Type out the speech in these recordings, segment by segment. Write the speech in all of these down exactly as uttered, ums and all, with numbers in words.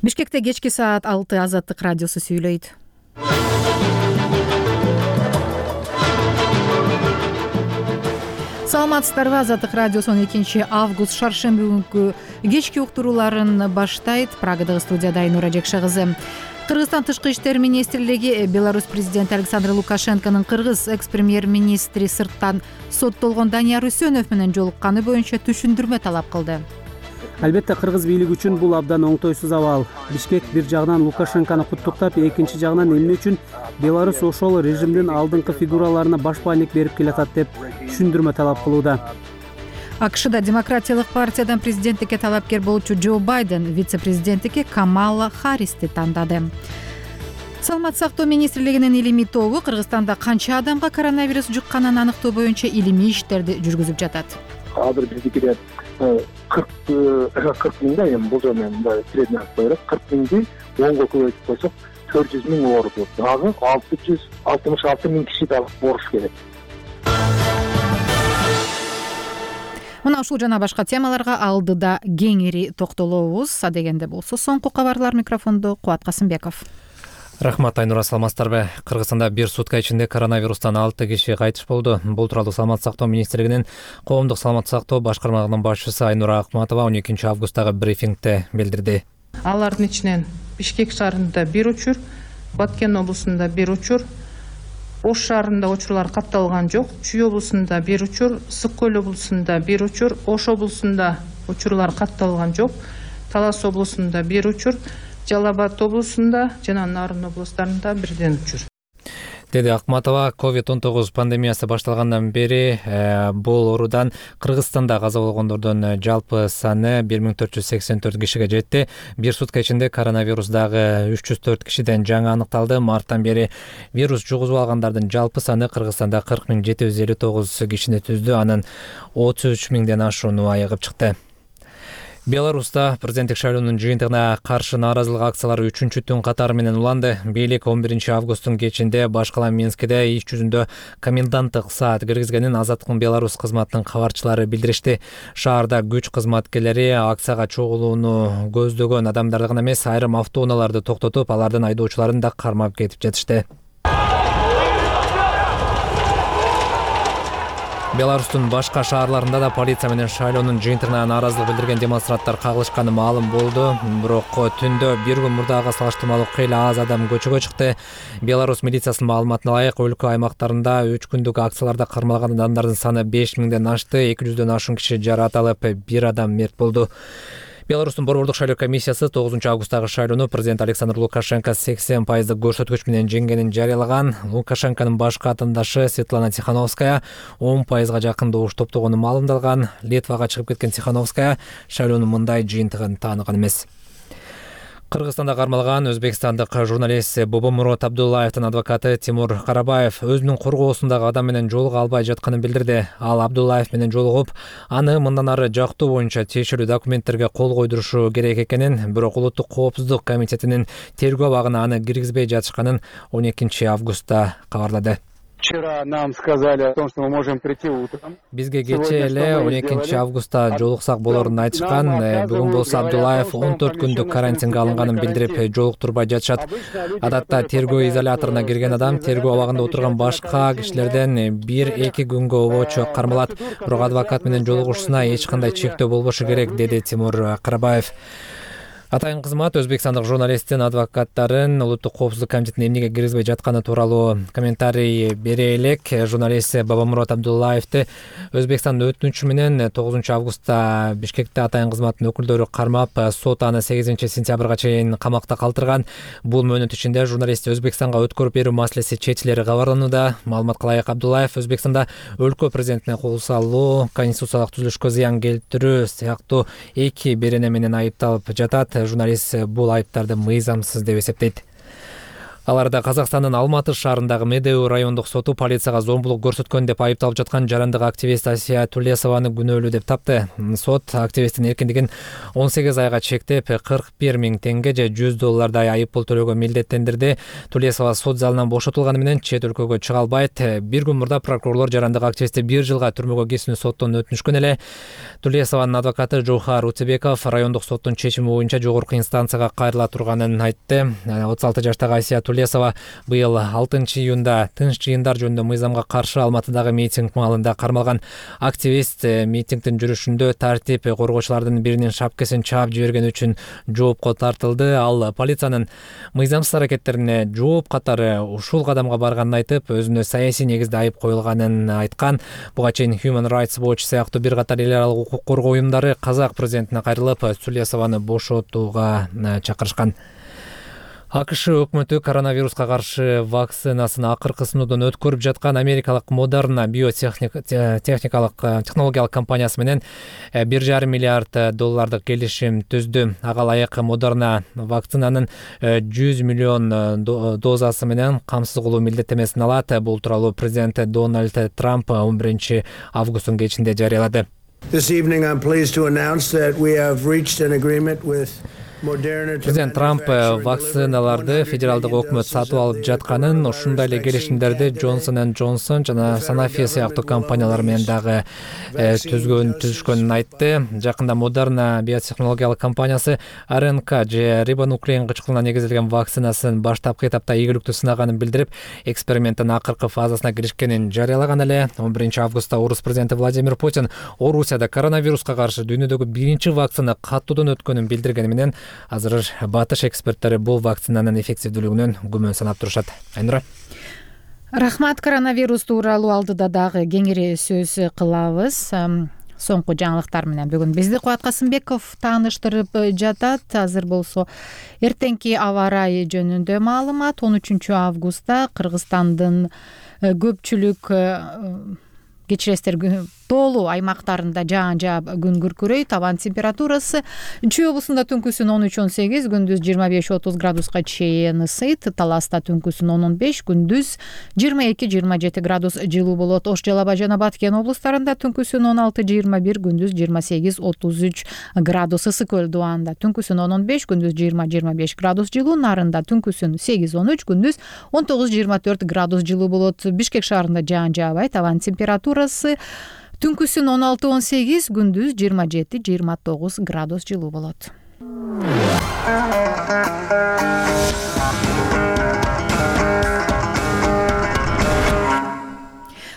Бишкекте кечки саат алты Азаттык радиосу сүйлөйт. Саламатсыздарбы? Азаттык радиосу он экинчи август шаршемби күнкү кечки уктурууларын баштайт. Прагадагы студияда Айнура Жекше кызы. Кыргызстан тышкы иштер министрлиги Беларусь президенти Александр Лукашенконун кыргыз экс-премьер-министри сырттан соттолгон Данияр Үсөнов менен жолукканы боюнча түшүндүрмө талап кылды. Албетте кыргыз бийлиги үчүн бул абдан оңтойсуз абал. Бишкек бир жагынан Лукашенкону куттуктап, экинчи жагынан эмне үчүн Беларусь ошол режимдин алдыңкы фигураларына баш баанек берип келатат деп түшүндүрмө талап кылууда. АКШда демократиялык партиядан президенттикке талапкер болчу Джо Байден вице-президенттикке Камала Харристи тандады. Саламаттык сактоо министрлигинин илимий тобу Кыргызстанда канча адамга коронавирус жукканын аныктоо боюнча илимий иштерди жүргүзүп жатат. Азыр биздикиде кырк миңде эми болжол менен мындай средний айтып коелу, кырк миңди онго көбөйтүп койсок төрт жүз миң ооруп, дагы алты жүз алтымыш алты миң киши дагы ооруш керек. Мына ушул жана башка темаларга алдыда кеңири токтолобуз. Адегенде болсо соңку кабарлар. Микрофондо Кубат Касымбеков. Рахмат, Айнура, саламатсыздарбы? Кыргызстанда бир сутка ичинде коронавирустан алты киши кайтыш болду. Бул тууралуу Саламаттык сактоо министрлигинин коомдук саламаттык сактоо башкармалыгынын башчысы Айнура Акматова он экинчи августтагы брифингде билдирди. Алардын ичинен Бишкек шаарында бир учур, Баткен облусунда бир учур, Ош шаарында учурлар катталган жок. Чүй облусунда бир учур, Сык көл облусунда бир учур, Ош облусунда учурлар катталган жок. Талас облусунда бир учур, Жалал Абад облусунда жана Нарын облустарында бирден учур. Деди Акматова, ковид он тогуз пандемиясы башталгандан бери э, бул оорудан Кыргызстанда каза болгондордун жалпы саны бир миң төрт жүз сексен төрт кишиге жетти. Бир сутка ичинде коронавирус дагы үч жүз төрт кишиден жаңы аныкталды. Марттан бери вирус жугузуп алгандардын жалпы саны Кыргызстанда кырк миң жети жүз элүү тогуз кишини түздү. Анын отуз үч миңден ашууну айыгып чыкты. Беларуста президенттик шайлоонун жыйынтыгына каршы нааразылык акциялары үчүнчү түн катары менен уланды. Бийлик он биринчи августтун кечинде баш кала Минскиде иш жүзүндө коменданттык саат киргизгенин Азаттык Беларусь кызматынын кабарчылары билдиришти. Шаарда күч кызматкерлери акцияга чогулууну көздөгөн адамдарды гана эмес, айрым автоунааларды токтотуп, алардын айдоочуларын да кармап кетип жатышты. Беларустун башка шаарларында да полиция менен шайлоонун жыйынтыгына нааразылык билдирген демонстранттар кагылышканы маалым болду. Бирок түндө бир күн мурдага салыштырмалуу кыйла аз адам көчөгө чыкты. Беларусь милициясынын маалыматына ылайык, өлкө аймактарында үч күндүк акцияларда кармалган адамдардын саны беш миңден ашты. эки жүздөн ашуун киши жаракат алып, бир адам мерт болду. Беларустун борбордук шайлоо комиссиясы тогузунчу августтагы шайлоону президент Александр Лукашенко сексен пайыздык көрсөткүч менен жеңгенин жарыялаган. Лукашенконун башкы атаандашы Светлана Тихановская он пайызга жакын добуш топтогону маалымдалган. Литвага чыгып кеткен Тихановская шайлоонун мындай жыйынтыгын тааныган эмес. Кыргызстанда кармалган өзбекстандык журналист Бобомурод Абдуллаевдин адвокаты Тимур Карабаев өзүнүн коргоосундагы адам менен жолуга албай жатканын билдирди. Ал Абдуллаев менен жолугуп, аны мындан ары жактоо боюнча тиешелүү документтерге кол койдурушу керек экенин, бирок Улуттук коопсуздук комитетинин тергөө абагына аны киргизбей жатышканын он экинчи августта кабарлады. Вчера нам сказали о том, что мы можем прийти утром. Бизге кече эле он экинчи августта жолуксак болорун айтышкан. Бүгүн болсо Абдуллаев он төрт күндүк карантинге алынганын билдирип, жолуктурбай жатышат. Адатта тергөө изоляторуна кирген адам тергөө абагында отурган башка кишилерден бир-эки күнгө обочу кармалат. Бирок адвокат менен жолугушусуна эч кандай чектөө болбошу керек, деди Тимур Карабаев. Атайын кызмат өзбекстандык журналисттин адвокаттарын Улуттук коопсуздук комитетине эмнеге киргизбей жатканы тууралуу комментарий бере элек. Журналист Бобомурод Абдуллаевди Өзбекстандын өтүнүчү менен тогузунчу августта Бишкекте атайын кызматтын өкүлдөрү кармап, сот аны сегизинчи сентябрга чейин камакта калтырган. Бул мөөнөт ичинде журналистти Өзбекстанга өткөрүп берүү маселеси чечилери кабарланууда. Маалыматка ылайык, Абдуллаев Өзбекстанда өлкө президентине кол салуу, конституциялык түзүлүшкө зыян келтирүү сыяктуу эки берене менен айыпталып жатат. Журналист бул айыптарды мыйзамсыз деп эсептейт. Аларда Казакстандын Алматы шаарындагы Медеу райондук соту полицияга зомбулук көрсөткөн деп айыпталып жаткан жарандык активист Асия Тулесованы күнөөлүү деп тапты. Сот активисттин эркиндигин он сегиз айга чектеп, кырк бир миң теңге же жүз доллардай айып пул төлөөгө милдеттендирди. Тулесова сот залынан бошотулганы менен чет өлкөгө чыга албайт. Бир күн мурда прокурорлор жарандык активистти бир жылга түрмөгө кесүүнү соттон өтүнүшкөн эле. Тулесованын адвокаты Жохар Утебеков райондук соттун чечими боюнча жогорку инстанцияга кайрыла турганын айтты. отуз алты жаштагы Асия Тулесова быйыл алтынчы июнда тынч жыйындар жөнүндө мыйзамга каршы Алматыдагы митинг маалында кармалган. Активист митингдин жүрүшүндө тартип коргоочулардын биринин шапкесин чаап жибергени үчүн жоопко тартылды. Ал полициянын мыйзамсыз аракеттерине жооп катары ушул кадамга барганын айтып, өзүнө саясий негизде айып коюлганын айткан. Буга чейин Human Rights Watch сыяктуу бир катар эл аралык укук коргоо уюмдары казак президентине кайрылып, Тулесованы бошотууга чакырышкан. АКШ өкмөтү коронавируска каршы вакцинасын акыркы сыноодон өткөрүп жаткан америкалык Moderna биотехникалык технологиялык компаниясы менен бир жарым миллиард доллардык келишим түздү. Ага ылайык Moderna вакцинанын жүз миллион дозасы менен камсыз кылуу милдеттемесин алат. Бул тууралуу президент Дональд Трамп он биринчи августтун кечинде жарыялады. This evening I'm pleased to announce that we have reached an agreement with Президент Трамп вакциналарды федералдык өкмөт сатып алып жатканын, ушундай эле келишимдерди Johnson энд Johnson жана Sanofi сыяктуу компаниялар менен дагы түзгөн түзүшкөнүн айтты. Жакында Moderna биотехнологиялык компаниясы ар эн ка же рибонуклеин кычкылына негизделген вакцинасын баштапкы этапта ийгиликтүү сынаганын билдирип, эксперименттин акыркы фазасына киришкенин жарыялаган эле. он биринчи августта Орус президенти Владимир Путин Орусияда коронавируска каршы дүйнөдөгү биринчи вакцина каттуудан өткөнүн билдиргени менен азыр батыш эксперттери бул вакцинанын эффективдүүлүгүнөн күмөн санап турушат. Айнура. Рахмат. Коронавирус тууралуу алдыда дагы кеңири сөз кылабыз. Соңку жаңылыктар менен бүгүн бизди Кубат Касымбеков тааныштырып жатат. Азыр болсо эртеңки аба ырайы жөнүндө маалымат. он үчүнчү августта Кыргызстандын көпчүлүк кечиресиздер тоолуу аймактарында жаан жаап күн күркүрөйт. Абан температурасы Чүй облусунда түнкүсүн он үч он сегиз, күндүз жыйырма беш отуз градуска чейин ысыйт. Таласта түнкүсүн он он беш, күндүз жыйырма эки жыйырма жети градус жылуу болот. Ош, Жалал абад жана Баткен облустарында түнкүсүн он алты жыйырма бир, күндүз жыйырма сегиз отуз үч градус. Ысык көл Дубанда түнкүсүн он он беш, күндүз жыйырма жыйырма беш градус жылуу. Нарында түнкүсүн сегиз он үч, күндүз он тогуз жыйырма төрт градус жылуу болот. Бишкек шаарында жаан жаабайт. Абан температурасы түнкүсүн он алты он сегиз, күндүз жыйырма жети жыйырма тогуз градус жылуу болот.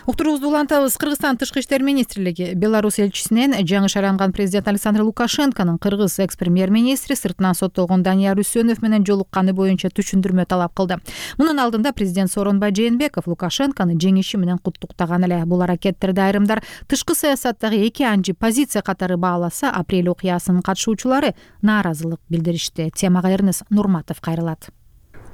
Уктуруубузду улантабыз. Кыргызстан тышкы иштер министрлиги Беларусь элчисинен жаңы шайланган президент Александр Лукашенконун кыргыз экс-премьер-министри сыртынан соттолгон Данияр Үсөнов менен жолукканы боюнча түшүндүрмө талап кылды. Мунун алдында президент Сооронбай Жээнбеков Лукашенкону жеңиши менен куттуктаган эле. Бул аракеттерди айрымдар тышкы саясаттагы эки анчы позиция катары бааласа, апрель окуясынын катышуучулары нааразылык билдиришти. Темага Эрнес Нурматов кайрылат.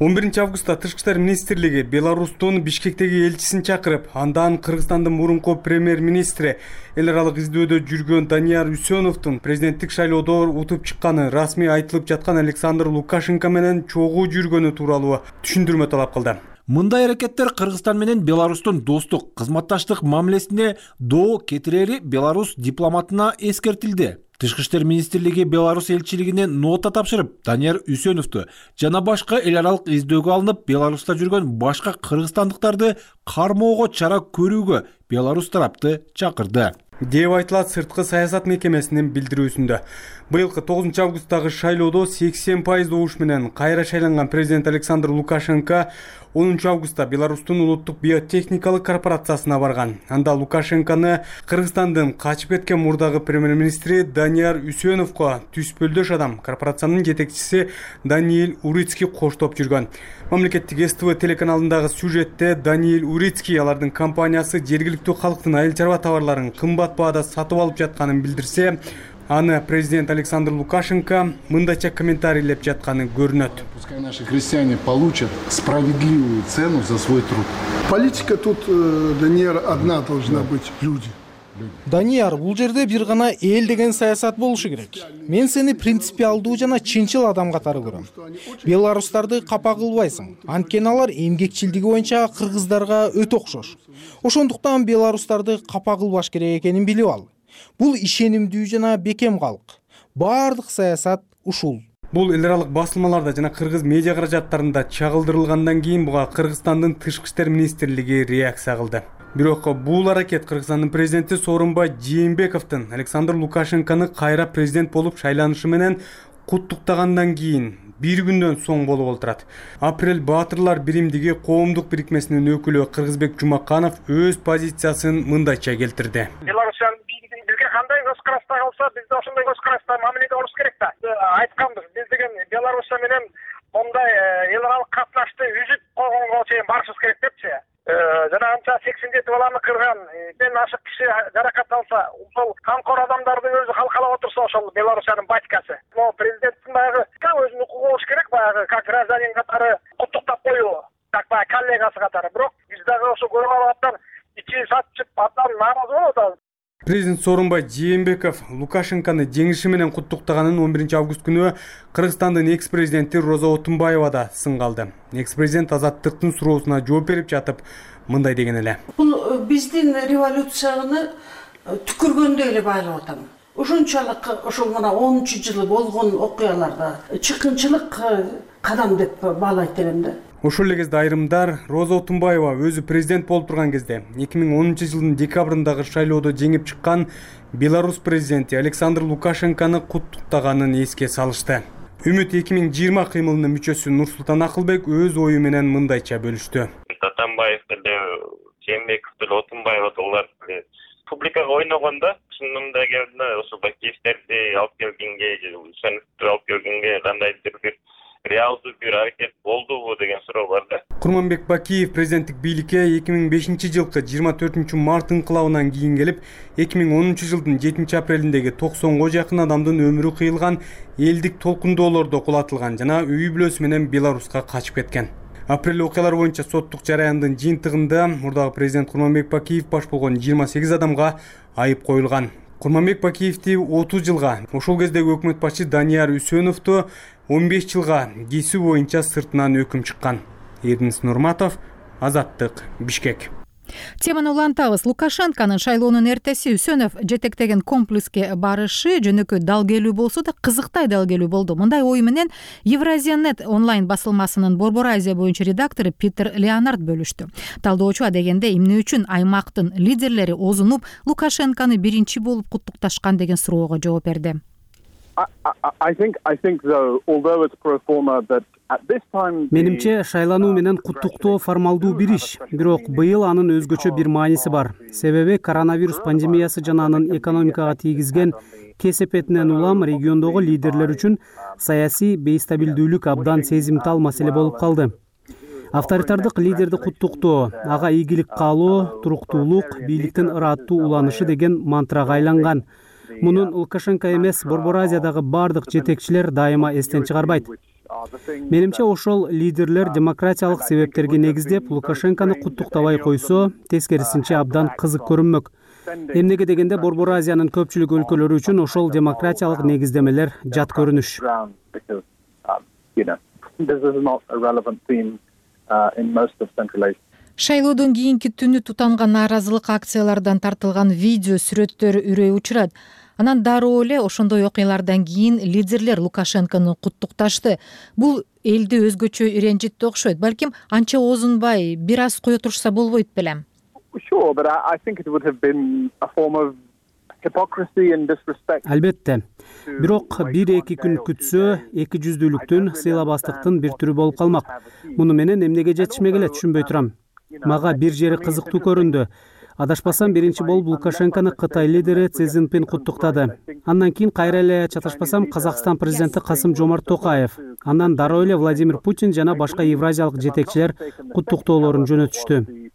он биринчи августта Тышкы иштер министрлиги Беларустун Бишкектеги элчисин чакырып, андан Кыргызстандын мурунку премьер-министри, эл аралык издөөдө жүргөн Данияр Үсөновдун президенттик шайлоодо утуп чыкканы расмий айтылып жаткан Александр Лукашенко менен чогуу жүргөнү тууралуу түшүндүрмө талап кылды. Мындай аракеттер Кыргызстан менен Беларустун достук, кызматташтык мамилесине доо кетирери Беларусь дипломатына эскертилди. Тышкы иштер министрлиги Беларусь элчилигине нота тапшырып, Данияр Үсөновду жана башка эл аралык издөөгө алынып, Беларуста жүргөн башка кыргызстандыктарды кармоого чара көрүүгө Беларусь тарапты чакырды деп айтылат сырткы саясат мекемесинин билдирүүсүндө. Быйылкы тогузунчу августтагы шайлоодо сексен пайыз добуш менен кайра шайланган президент Александр Лукашенко онунчу августта Беларустун улуттук биотехникалык корпорациясына барган. Анда Лукашенкону Кыргызстандын качып кеткен мурдагы премьер-министри Данияр Үсөновго түспөлдөш адам, корпорациянын жетекчиси Даниил Урицкий коштоп жүргөн. Мамлекеттик эс тэ вэ телеканалындагы сюжетте Даниил Урицкий алардын компаниясы жергиликтүү калктын айыл чарба товарларын кымбат баада сатып алып жатканын билдирсе, аны президент Александр Лукашенко мындайча комментарийлеп жатканы көрүнөт. Пускай наши крестьяне получат справедливую цену за свой труд. Политика тут, Даниэль, одна должна быть — люди. Данияр, бул жерде бир гана эл деген саясат болушу керек. Мен сени принципиалдуу жана чынчыл адам катары көрөм. Беларустарды капа кылбайсың. Анткени алар эмгекчилдиги боюнча кыргыздарга өтө окшош. Ошондуктан беларустарды капа кылбаш керек экенин билип ал. Бул ишенимдүү жана бекем калк. Бардык саясат ушул. Бул эл аралык басылмаларда жана кыргыз медиа каражаттарында чагылдырылгандан кийин буга Кыргызстандын тышкы иштер министрлиги реакция кылды. Бирок бул аракет Кыргызстандын президенти Сооронбай Жээнбековдун Александр Лукашенкону кайра президент болуп шайланышы менен куттуктагандан кийин бир күндөн соң болуп отурат. Апрель Баатырлар биримдиги коомдук бирикмесинин өкүлү Кыргызбек Жумаканов өз позициясын мындайча келтирди. Беларусьтан бизге кандай көз карашта калса, биз да ошондой көз карашта мамиледе болуш керек да. Айтканбыз, биз деген Беларусь менен мондай эл аралык катнашты үзүп койгонго чейин барышыбыз керек депчи. Жана анча сексен жети баланы кырган, бен ашык киши жаракат алса, ошол камкор адамдардын өзү калкалап отурса, ошол Белоруссиянын батькасы. Но президенттин баягы өзүнүн укугу болуш керек, баягы как гражданин катары куттуктап коюу, как баягы коллегасы катары. Бирок биз дагы ошо көрүп алып аттан ичи сатчып абдан нааразы болуп атабыз. Президент Сооронбай Жээнбеков Лукашенкону жеңиши менен куттуктаганын он биринчи август күнү Кыргызстандын экс-президенти Роза Отунбаева да сынга алды. Экс-президент Азаттыктын суроосуна жооп берип жатып мындай деген эле. Бул биздин революцияны түкүргөндөй эле байлап атам. Ошончолук ошол мына онунчу жылы болгон окуяларда чыккынчылык кадам деп баалайт элем да. Ошол эле кезде айрымдар Роза Отунбаева өзү президент болуп турган кезде эки миң онунчу жылдын декабрындагы шайлоодо жеңип чыккан Беларусь президенти Александр Лукашенкону куттуктаганын эске салышты. Үмүт эки миң жыйырма кыймылынын мүчөсү Нурсултан Акылбек өз ою менен мындайча бөлүштү. Атамбаев деле, Жээнбеков деле, Отунбаева олар публикага ойногондо чынында келгенде ошо Бакиевтерди алып келгенге, Шаныктарды алып келгенге кандайдыр бир реалдуу бир аракет болдубу деген суроо бар да. Курманбек Бакиев президенттик бийликке эки миң бешинчи жылкы жыйырма төртүнчү март инкылабынан кийин келип, эки миң онунчу жылдын жетинчи апрелиндеги токсонго жакын адамдын өмүрү кыйылган элдик толкундоолордо кулатылган жана үй бүлөсү менен Беларуска качып кеткен. Апрель окуялары боюнча соттук жараяндын жыйынтыгында мурдагы президент Курманбек Бакиев баш болгон жыйырма сегиз адамга айып коюлган. Курманбек Бакиевди отуз жылга, ошол кездеги өкмөт башчы Данияр Үсөновду он беш жылга кесүү боюнча сыртынан өкүм чыккан. Эрдинис Нурматов, Азаттык, Бишкек. Теманы улантабыз. Лукашенконун шайлоонун эртеси Үсөнов жетектеген комплекске барышы жөнөкөй далгелүү болсо да кызыктай далгелүү болду. Мындай ой менен Евразия.нет онлайн басылмасынын Борбор Азия боюнча редактору Питер Леонард бөлүштү. Талдоочу адегенде эмне үчүн аймактын лидерлери озунуп Лукашенкону биринчи болуп куттукташкан деген суроого жооп берди. Менимче шайлануу менен куттуктоо формалдуу бир иш, бирок быйыл анын өзгөчө бир мааниси бар. Себеби коронавирус пандемиясы жана анын экономикага тийгизген кесепетинен улам региондогу лидерлер үчүн саясий бейстабилдүүлүк абдан сезимтал маселе болуп калды. Авторитардык лидерди куттуктоо, ага ийгилик каалоо, туруктуулук, бийликтин ыраттуу уланышы деген мантрага айланган. Мунун Лукашенко эмес, Борбор Азиядагы бардык жетекчилер дайыма эстен чыгарбайт. Менимче ошол лидерлер демократиялык себептерге негиздеп Лукашенкону куттуктабай койсо, тескерисинче абдан кызык көрүнмөк. Эмнеге дегенде Борбор Азиянын көпчүлүк өлкөлөрү үчүн ошол демократиялык негиздемелер жат көрүнүш. Шайлоодон кийинки түнү тутанган нааразылык акциялардан тартылган видео сүрөттөр үрөй учурат. Анан дароо эле ошондой окуялардан кийин лидерлер Лукашенкону куттукташты. Бул элди өзгөчө ренжитти окшойт. Балким анча озунбай, бир аз кое турушса болбойт белем. Албетте. Бирок бир-эки күн күтсө, эки жүздүүлүктүн, сыйлабастыктын бир түрү болуп калмак. Муну менен эмнеге жетишмек эле түшүнбөй турам. Мага бир жери кызыктуу көрүндү. Адашпасам биринчи болуп Лукашенкону Кытай лидери Си Цзиньпин куттуктады. Андан кийин кайра эле чаташпасам Казакстан президенти Касым-Жомарт Токаев, андан дароо эле Владимир Путин жана башка евразиялык жетекчилер куттуктоолорун жөнөтүштү.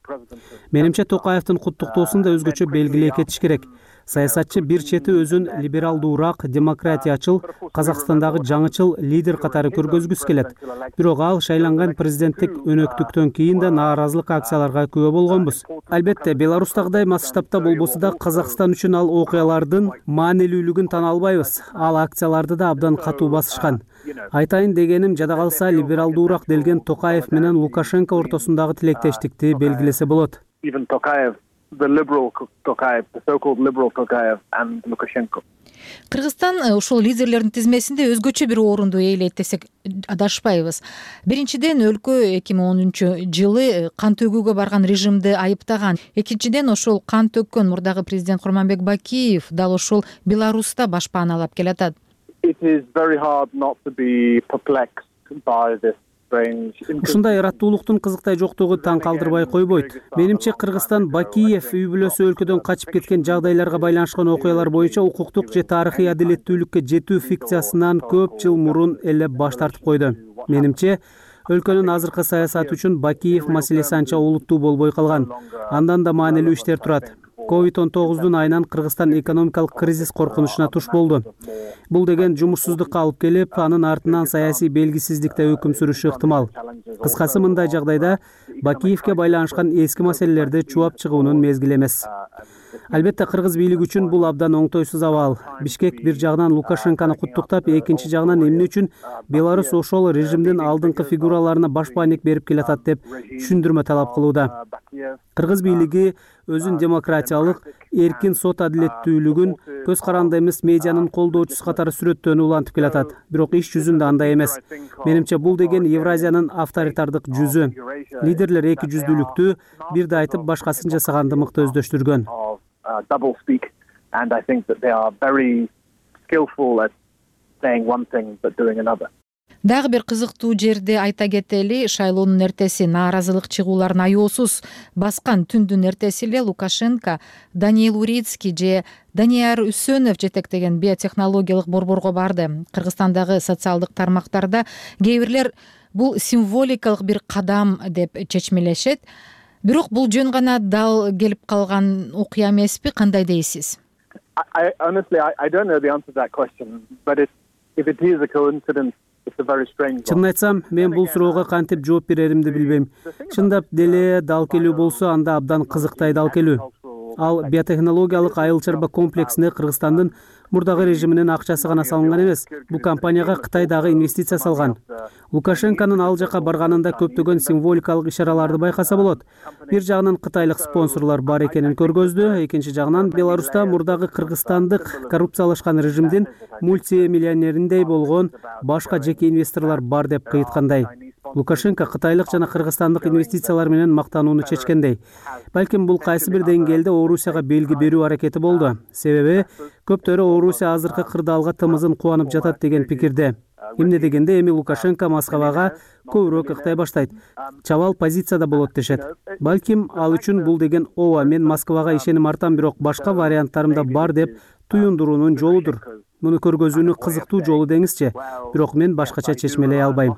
Менимче Токаевдин куттуктоосун да өзгөчө белгилей кетиш керек. саясатчы бир чети өзүн либералдуураак, демократиячыл, Казакстандагы жаңычыл лидер катары көргөзгүсү келет. Бирок ал шайланган президенттик өнөктүктөн кийин да нааразылык акцияларга күбө болгонбуз. Албетте, Беларустагыдай масштабта болбосо да Казакстан үчүн ал окуялардын маанилүүлүгүн тана албайбыз. Ал акцияларды да абдан катуу басышкан. Айтайын дегеним, жада калса либералдуураак делген Токаев менен Лукашенко ортосундагы тилектештикти белгилесе болот. The liberal Tokayev, the so-called liberal Tokayev and Lukashenko. Кыргызстан ушул лидерлердин тизмесинде өзгөчө бир орунду ээлейт десек адашпайбыз. Биринчиден, өлкө эки миң онунчу жылы кан төгүүгө барган режимди айыптаган. Экинчиден, ошол кан төккөн мурдагы президент Курманбек Бакиев дал ошол Беларуста башпаналап келатат. It is very hard not to be perplexed by this. Ушундай ыраттуулуктун кызыктай жоктугу таң калтырбай койбойт. Менимче, Кыргызстан Бакиев үй бүлөсү өлкөдөн качып кеткен жагдайларга байланышкан окуялар боюнча укуктук же тарыхый адилеттүүлүккө жетүү фикциясынан көп жыл мурун эле баш тартып койду. Менимче, өлкөнүн азыркы саясаты үчүн Бакиев маселеси анча олуттуу болбой калган. Андан да маанилүү иштер турат. ковид он тогуздун айынан Кыргызстан экономикалык кризис коркунучуна туш болду. Бул деген жумушсуздукка алып келип, анын артынан саясий белгисиздикте өкүм сүрүшү ыктымал. Кыскасы, мындай жагдайда Бакиевке байланышкан эски маселелерди чубап чыгуунун мезгили эмес. Албетте, кыргыз бийлиги үчүн бул абдан оңтойсуз абал. Бишкек бир жагынан Лукашенкону куттуктап, экинчи жагынан эмне үчүн Беларусь ошол режимдин алдыңкы фигураларына баш бааник берип келатат деп түшүндүрмө талап кылууда. Кыргыз бийлиги өзүн демократиялык, эркин сот адилеттүүлүгүн, көз каранды эмес медианын колдоочусу катары сүрөттөөнү улантып келатат. Бирок иш жүзүндө андай эмес. Менимче, бул деген Евразиянын авторитардык жүзү. Лидерлер эки жүздүүлүктү бирде айтып, башкасын жасаганды мыкты өздөштүргөн. Double speak, and I think that they are very skillful at saying one thing but doing another. Дагы бир кызыктуу жерди айта кетели, шайлоонун эртеси нааразылык чыгууларын аеосуз баскан түндүн эртеси эле Лукашенко Даниил Урицкий же Данияр Үсөнов жетектеген биотехнологиялык борборго барды. Кыргызстандагы социалдык тармактарда кээ бирлер бул символикалык бир кадам деп чечмелешет. Бирок бул жөн гана дал келип калган окуя эмеспи? Кандай дейсиз? I honestly I, I don't know the answer to that question, but if if it is a coincidence, it's a very strange one. Чынын айтсам, мен бул суроого кантип жооп береримди билбейм. Чындап деле дал келүү болсо, анда абдан кызыктай дал келүү. Ал биотехнологиялык айыл чарба комплексине Кыргызстандын мурдагы режиминин акчасы гана салынган эмес. Бул компанияга Кытай дагы инвестиция салган. Лукашенконун ал жака барганында көптөгөн символикалык ишараларды байкаса болот. Бир жагынан кытайлык спонсорлор бар экенин көргөздү, экинчи жагынан Беларуста мурдагы кыргызстандык коррупциялашкан режимдин мультимиллионериндей болгон башка жеке инвесторлор бар деп кыйыткандай. Лукашенко кытайлык жана кыргызстандык инвестициялар менен мактанууну чечкендей. Балким бул кайсы бир деңгээлде Орусияга белги берүү аракети болду. Себеби көптөрү Орусия азыркы кырдаалга тымызын кубанып жатат деген пикирде. Эмне дегенде, эми Лукашенко Москвага көбүрөөк ыктай баштайт. Чабал позицияда болот дешет. Балким ал үчүн бул деген ооба, мен Москвага ишеним артам, бирок башка варианттарым да бар деп туюндуруунун жолудур. Муну көргөзүүнүн кызыктуу жолу деңизчи. Бирок мен башкача чечмелей албайм.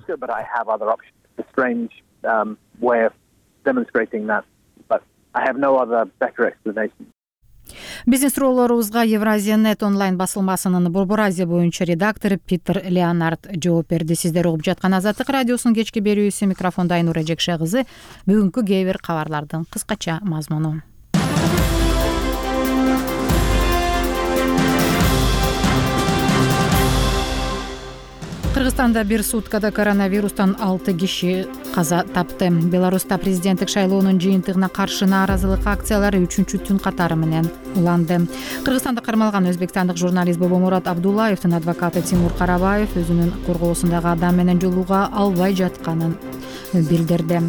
Биздин суроолорубузга Евразия нет онлайн басылмасынын Борбор Азия боюнча редактору Питер Леонард жооп берди. Сиздер угуп жаткан Азаттык радиосунун кечки берүүсү, микрофондо Айнура Жекше кызы. Бүгүнкү кээ бир кабарлардын кыскача мазмуну. Кыргызстанда бир суткада коронавирустан алты киши каза тапты. Беларуста президенттик шайлоонун жыйынтыгына каршы нааразылык акциялары үчүнчү түн катары менен уланды. Кыргызстанда кармалган өзбекстандык журналист Бобомурат Абдуллаевдин адвокаты Тимур Карабаев өзүнүн коргоосундагы адам менен жолуга албай жатканын билдирди.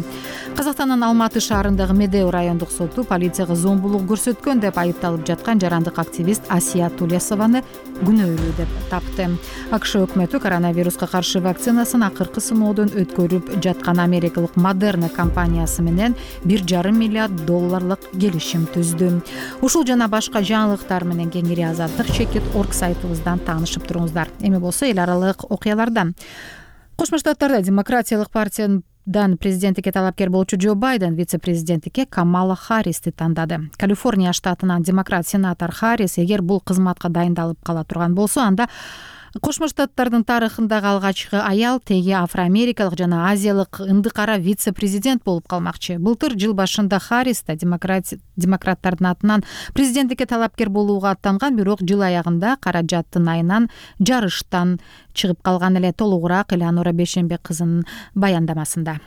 Казакстандын Алматы шаарындагы Медеу райондук соту полицияга зомбулук көрсөткөн деп айыпталып жаткан жарандык активист Асия Тулесованы күнөөлүү деп тапты. АКШ өкмөтү коронавируска каршы вакцинасын акыркы сыноодон өткөрүп жаткан америкалык Модерна компаниясы менен бир жарым миллиард долларлык келишим түздү. Ушул жана башка жаңылыктар менен кеңири Азаттык чекит орг сайтыбыздан таанышып туруңуздар. Эми болсо эл аралык окуялардан. Кошмо Штаттарда Демократиялык партиянын президенттикке талапкер болчу Джо Байден вице-президенттикке Камала Харристи тандады. Калифорния штатынан демократ сенатор Харрис эгер бул кызматка дайындалып кала турган болсо, анда Кошмо Штаттардын тарыхындагы алгачкы аял теги афро-америкалык жана азиялык ынды кара вице-президент болуп калмакчы. Былтыр жыл башында Харрис да демократтардын атынан президенттикке талапкер болууга аттанган, бирок жыл аягында каражаттын айынан жарыштан чыгып калган эле. Толугураак Элеонора Бейшембек кызынын баяндамасында.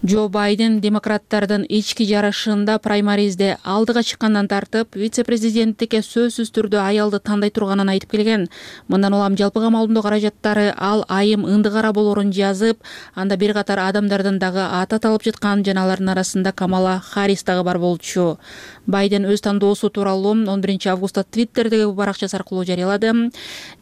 Джо Байден демократтардын ички жарышында праймаризде алдыга чыккандан тартып, вице-президенттикке сөзсүз түрдө аялды тандай турганын айтып келген. Мындан улам жалпы камалдоо каражаттары ал айым ынды кара болорун жазып, анда бир катар адамдардын дагы аты аталып жаткан, жана алардын арасында Камала Харрис дагы бар болчу. Байден өз тандоосу тууралуу он биринчи августта Твиттердеги баракчасы аркылуу жарыялады.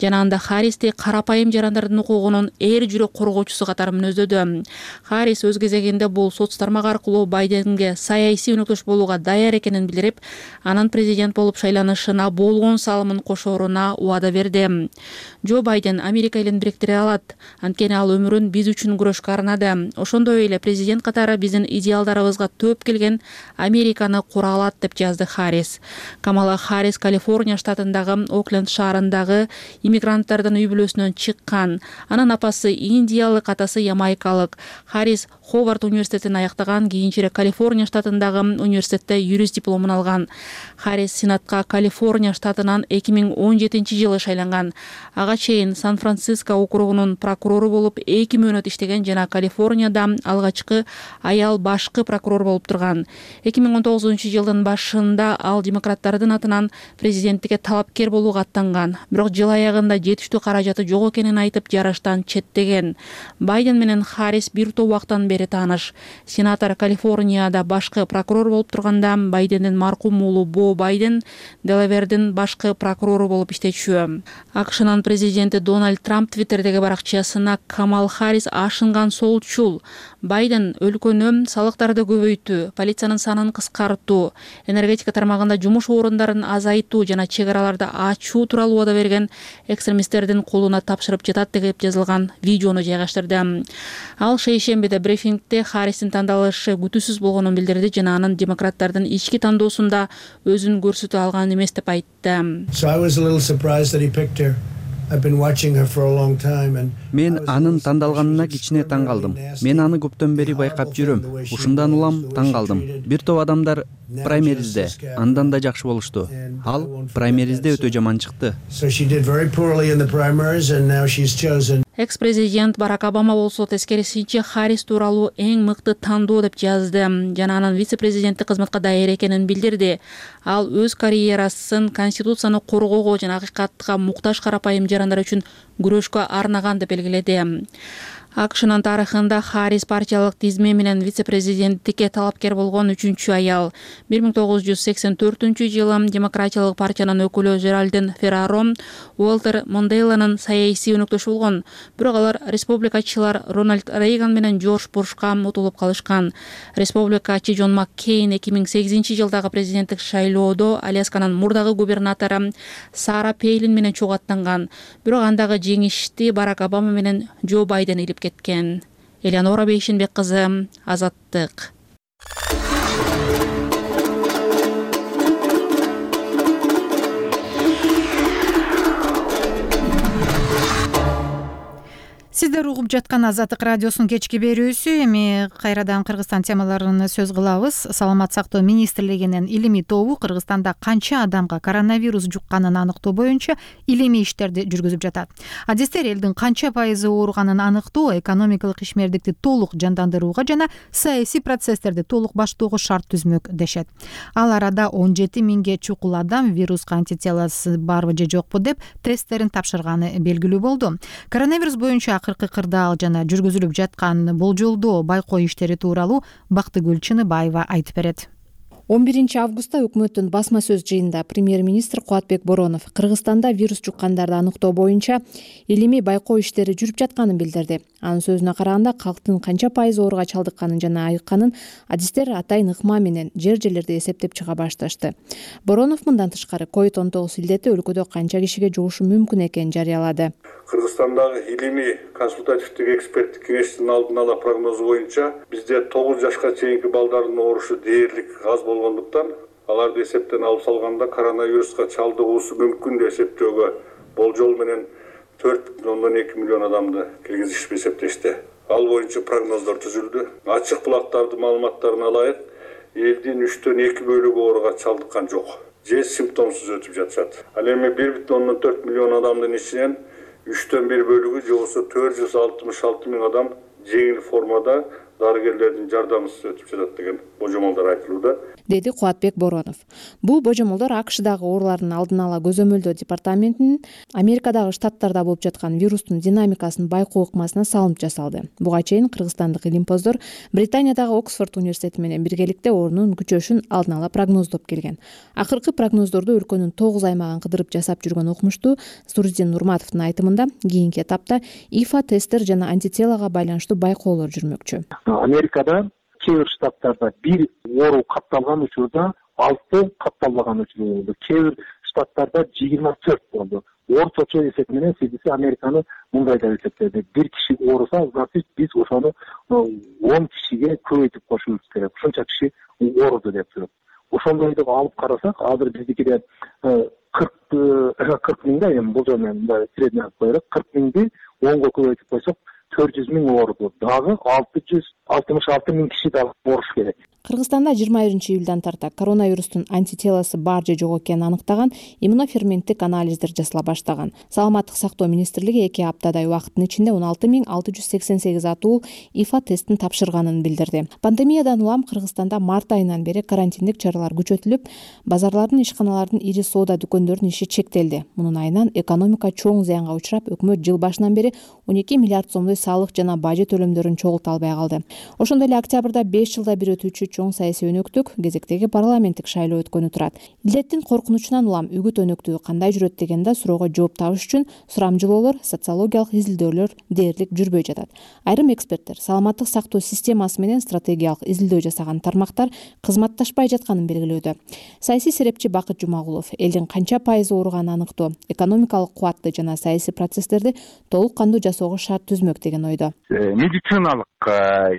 Жана анда Харристи карапайым жарандардын укугунун эр жүрөк коргоочусу катары мүнөздөдү. Харрис өз кезегинде бул соц тармагы аркылуу Байденге саясий өнөктөш болууга даяр экенин билдирип, анын президент болуп шайланышына болгон салымын кошооруна убада берди. Джо Байден Америка элин бириктире алат, анткени ал өмүрүн биз үчүн күрөшкө арнады. Ошондой эле президент катары биздин идеалдарыбызга төөп келген Американы кура алат деп жазды Харрис. Камала Харрис Калифорния штатындагы Окленд шаарындагы иммигранттардын үй бүлөсүнөн чыккан. Анын апасы индиялык, атасы ямайкалык. Харрис Ховард университетин аяктаган, кийинчерээк Калифорния штатындагы университетте юрист дипломун алган. Харрис Сенатка Калифорния штатынан эки миң он жетинчи жылы шайланган. Ага чейин Сан-Франциско округунун прокурору болуп эки мөөнөт иштеген жана Калифорнияда алгачкы аял башкы прокурор болуп турган. эки миң он тогузунчу жылдын башында ал демократтардын атынан президенттикке талапкер болууга аттанган. Бирок жыл аягында жетиштүү каражаты жок экенин айтып, жарыштан четтеген. Байден менен Харрис бир топ убактан бери тааныш. Сенатор Калифорнияда башкы прокурор болуп турганда, Байдендин маркум уулу Бо Байден Делавердин башкы прокурору болуп иштечү. АКШнын президенти Дональд Трамп Твиттердеги баракчасына Камала Харрис ашынган солчул. Байден өлкөнү салыктарды көбөйтүү, полициянын санын кыскартуу, энергетика тармагында жумуш орундарын азайтуу жана чек араларды ачуу тууралуу убада берген экстремисттердин колуна тапшырып жатат деп жазылган видеону жайгаштырды. Ал шейшембиде брифингде Харристин тандалышы күтүүсүз болгонун билдирди жана анын демократтардын ички тандоосунда өзүн көрсөтө алган эмес деп айтты. So I was a little surprised that he picked her. I've been watching her for a long time and Мен анын тандалганына кичине таң калдым. Мен аны көптөн бери байкап жүрөм. Ушундан улам таң калдым. Бир топ адамдар праймеризде андан да жакшы болушту. Ал праймеризде өтө жаман чыкты. So she did very poorly in the primaries and now she's chosen. Экс-президент Барак Обама болсо тескерисинче Харрис тууралуу эң мыкты тандоо деп жазды жана анын вице-президенттик кызматка даяр экенин билдирди. Ал өз карьерасын конституцияны коргоого жана акыйкатка муктаж карапайым жарандар үчүн күрөшкө арнаган деп белгиледи. АКШнын тарыхында Харрис партиялык тизме менен вице-президенттикке талапкер болгон үчүнчү аял. бир миң тогуз жүз сексен төртүнчү жылы демократиялык партиянын өкүлү Жеральдин Ферраро Уолтер Монделанын саясий өнөктөшү болгон. Бирок алар республикачылар Рональд Рейган менен Джордж Бушка утулуп калышкан. Республикачы Джон Маккейн эки миң сегизинчи жылдагы президенттик шайлоодо Алясканын мурдагы губернатору Сара Пейлин менен чогуу аттанган. Бирок андагы жеңишти Барак Обама менен Джо Байден илип кеткен. Элеонора Бейшембек кызы, Азаттык. Сиздер угуп жаткан Азаттык радиосунун кечки берүүсү. Эми кайрадан Кыргызстан темаларын сөз кылабыз. Саламат сактоо министрлигинин илимий тобу Кыргызстанда канча адамга коронавирус жукканын аныктоо боюнча илимий иштерди жүргүзүп жатат. Адистер элдин канча пайызы ооруганын аныктоо, экономикалык ишмердикти толук жандандырууга жана саясий процесстерди толук баштоого шарт түзмөк дешет. Ал арада он жети миңге чукул адам вируска антителосы барбы же жокпу деп тесттерин тапшырганы белгилүү болду. Коронавирус боюнча акыркы кырдаал жана жүргүзүлүп жаткан болжолдоо байкоо иштери тууралуу Бактыгүл Чыныбаева айтып берет. он биринчи августта өкмөттүн басма сөз жыйынында премьер-министр Кубатбек Боронов Кыргызстанда вирус жуккандарды аныктоо боюнча илимий байкоо иштери жүрүп жатканын билдирди. Анын сөзүнө караганда, калктын канча пайыз ооруга чалдыкканын жана айыкканын адистер атайын ыкма менен жер-жерлерде эсептеп чыга башташты. Боронов мындан тышкары ковид он тогуз илдети өлкөдө канча кишиге жугушу мүмкүн экенин жарыялады. Кыргызстандагы илимий консультативдик эксперттик кеңештин алдын ала прогнозу боюнча бизде тогуз жашка чейинки балдардын оорушу дээрлик аз болгондуктан аларды эсептен алып салганда коронавируска чалдыгуусу мүмкүн деп эсептөөгө болжол менен төрт бүтүн ондон эки миллион адамды киргизишип эсептешти. Ал боюнча прогноздор түзүлдү. Ачык булактардын маалыматтарына ылайык элдин үчтөн эки бөлүгү ооруга чалдыккан жок же симптомсуз өтүп жатышат. Ал эми бир бүтүн ондон төрт миллион адамдын ичинен үчтөн бир бөлүгү же болбосо төрт жүз алтымыш алты миң адам жеңил формада дарыгерлердин жардамысыз өтүп жатат деген божомолдор айтылууда, деди Кубатбек Боронов. Бул божомолдор АКШдагы оорулардын алдын ала көзөмөлдөө департаментинин Америкадагы штаттарда болуп жаткан вирустун динамикасын байкоо ыкмасына салынып жасалды. Буга чейин кыргызстандык илимпоздор Британиядагы Оксфорд университети менен биргеликте оорунун күчөшүн алдын ала прогноздоп келген. Акыркы прогноздорду өлкөнүн тогуз аймагын кыдырып жасап жүргөн окумуштуу Суруздин Нурматовдун айтымында кийинки этапта ИФА тесттер жана антителага байланыштуу байкоолор жүрмөкчү. Америкада кээ бир штаттарда бир оору катталган учурда алты катталбаган учур болду. Кээ бир штаттарда жыйырма төрт болду. Орточо эсеп менен си ди си Американы мындай деп эсептеди. Бир киши ооруса, значит биз ошону он кишиге көбөйтүп кошубуз керек. Ушунча киши ооруду деп жүрөт. Ошондой деп алып карасак, азыр биздикиде кырк миңде эми бул жерден средний алып коелук, кырк миңди онго көбөйтүп койсок төрт жүз миң ооруду. Дагы алты жүз алтымыш алты миң киши дагы ооруш керек. Кыргызстанда жыйырма биринчи июлдан тарта коронавирустун антителосы бар же жок экенин аныктаган иммуноферменттик анализдер жасала баштаган. Саламаттык сактоо министрлиги эки аптадай убакыттын ичинде он алты миң алты жүз сексен сегиз атуу ИФА тестин тапшырганын билдирди. Пандемиядан улам Кыргызстанда март айынан бери карантиндик чаралар күчөтүлүп, базарлардын, ишканалардын, ири соода дүкөндөрүнүн иши чектелди. Мунун айынан экономика чоң зыянга учурап, өкмөт жыл башынан бери он эки миллиард сомдой салык жана бажы төлөмдөрүн чогулта албай калды. Ошондой эле октябрда беш жылда бир өтүүчү чоң саясий өнөктүк кезектеги парламенттик шайлоо өткөнү турат. Илдеттин коркунучунан улам үгүт өнөктүгү кандай жүрөт деген да суроого жооп табыш үчүн сурамжылоолор, социологиялык изилдөөлөр дээрлик жүрбөй жатат. Айрым эксперттер саламаттык сактоо системасы менен стратегиялык изилдөө жасаган тармактар кызматташпай жатканын белгилөөдө. Саясий серепчи Бакыт Жумагулов элдин канча пайызы ооруганын аныктоо, экономикалык кубатты жана саясий процесстерди толук кандуу жасоого шарт түзмөк деген ойдо. Медициналык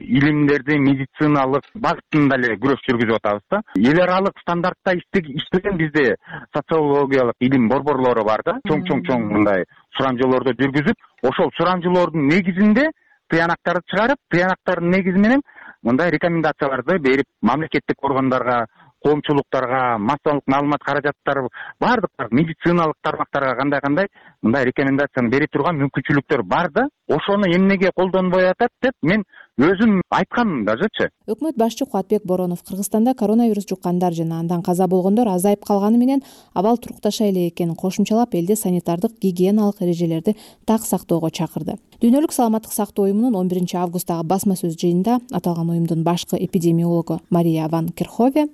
илимдерди медициналык багытында эле күрөш жүргүзүп атабыз да. Эл аралык стандартта иштеген бизде социологиялык илим борборлору бар да. Чоң-чоң-чоң мындай сурамжылоорду жүргүзүп, ошол сурамжылоордун негизинде тыянактарды чыгарып, тыянактардын негизи менен мындай рекомендацияларды берип, мамлекеттик органдарга, коомчулуктарга, массалык маалымат каражаттары бардык медициналык тармактарга кандай-кандай мындай рекомендацияны бере турган мүмкүнчүлүктөр бар да. Ошону эмнеге колдонбой атат деп мен өзүм айткам дажычы. Өкмөт башчы Кубатбек Боронов Кыргызстанда коронавирус жуккандар жана андан каза болгондор азайып калганы менен абал турукташа элек экенин кошумчалап, элде санитардык гигиеналык эрежелерди так сактоого чакырды. Дүйнөлүк саламаттык сактоо уюмунун он биринчи августтагы басма сөз жыйынында аталган уюмдун башкы эпидемиологу Мария ван Керхове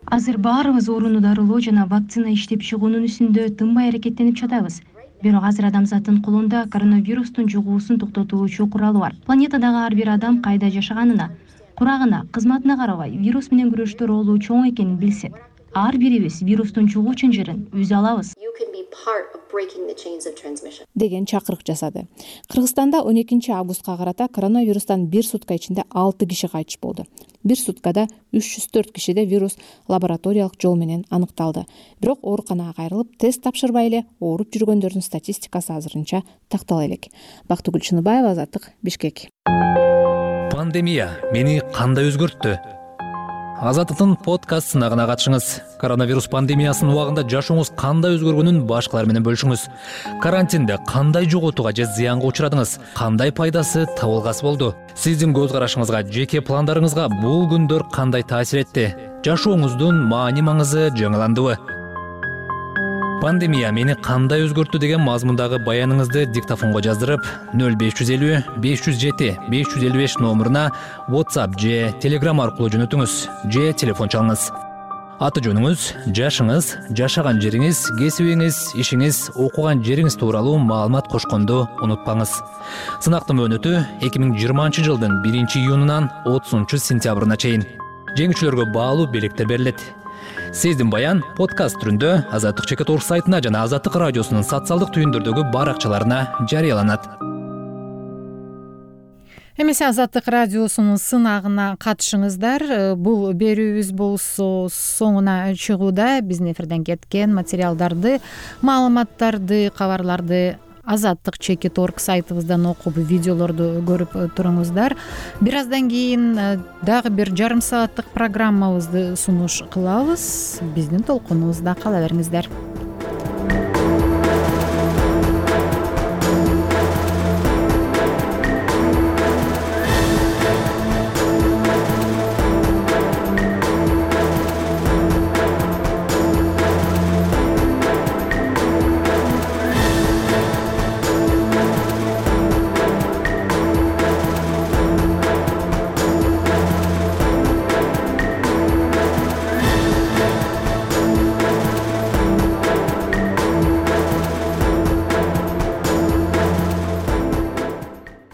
азыр баарыбыз оорууну дарылоо жана вакцина иштеп чыгуунун үстүндө тынбай аракеттенип жатабыз. Бирок азыр адамзаттын колунда коронавирустун жугуусун токтотуучу куралы бар. Планетадагы ар бир адам кайда жашаганына, курагына, кызматына карабай вирус менен күрөштө ролу чоң экенин билсек, ар бирибиз вирустун чугуу чынжырын үзө алабыз деген чакырык жасады. Кыргызстанда он экинчи августка карата коронавирустан бир сутка ичинде алты киши кайтыш болду. Бир суткада үч жүз төрт кишиде вирус лабораториялык жол менен аныкталды. Бирок ооруканага кайрылып, тест тапшырбай эле ооруп жүргөндөрдүн статистикасы азырынча тактала элек. Бактыгүл Чыныбаева, Азаттык, Бишкек. Пандемия мени кандай өзгөрттү? Азаттыктын подкастына гана катышыңыз. Коронавирус пандемиясынын убагында жашооңуз кандай өзгөргөнүн башкалар менен бөлүшүңүз. Карантинде кандай жоготууга же зыянга учурадыңыз? Кандай пайдасы, табылгасы болду? Сиздин көз карашыңызга, жеке пландарыңызга бул күндөр кандай таасир этти? Жашооңуздун маани маңызы жаңыландыбы? Пандемия мени кандай өзгөрттү деген мазмундагы баяныңызды диктофонго жаздырып, нөл беш жүз элүү беш жүз жети беш жүз элүү беш номуруна WhatsApp же Telegram аркылуу жөнөтүңүз же телефон чалыңыз. Аты жөнүңүз, жашыңыз, жашаган жериңиз, кесибиңиз, ишиңиз, окуган жериңиз тууралуу маалымат кошконду унутпаңыз. Сынактын мөөнөтү эки миң жыйырманчы жылдын биринчи июнунан отузунчу сентябрына чейин. Жеңүүчүлөргө баалуу белектер берилет. Сездим Баян подкаст түрүндө Азаттык чекит орг сайтына жана Азаттык радиосунун социалдык түйүндөрдөгү баракчаларына жарыяланат. Эмесе Азаттык радиосунун сынагына катышыңыздар. Бул берүүбүз болсо соңуна чыгууда. Биздин эфирден кеткен материалдарды, маалыматтарды, кабарларды Азаттык чекит орг сайтыбыздан окуп, видеолорду көрүп туруңуздар. Бир аздан кийин дагы бир жарым сааттык программабызды сунуш кылабыз. Биздин толкунубузда кала бериңиздер.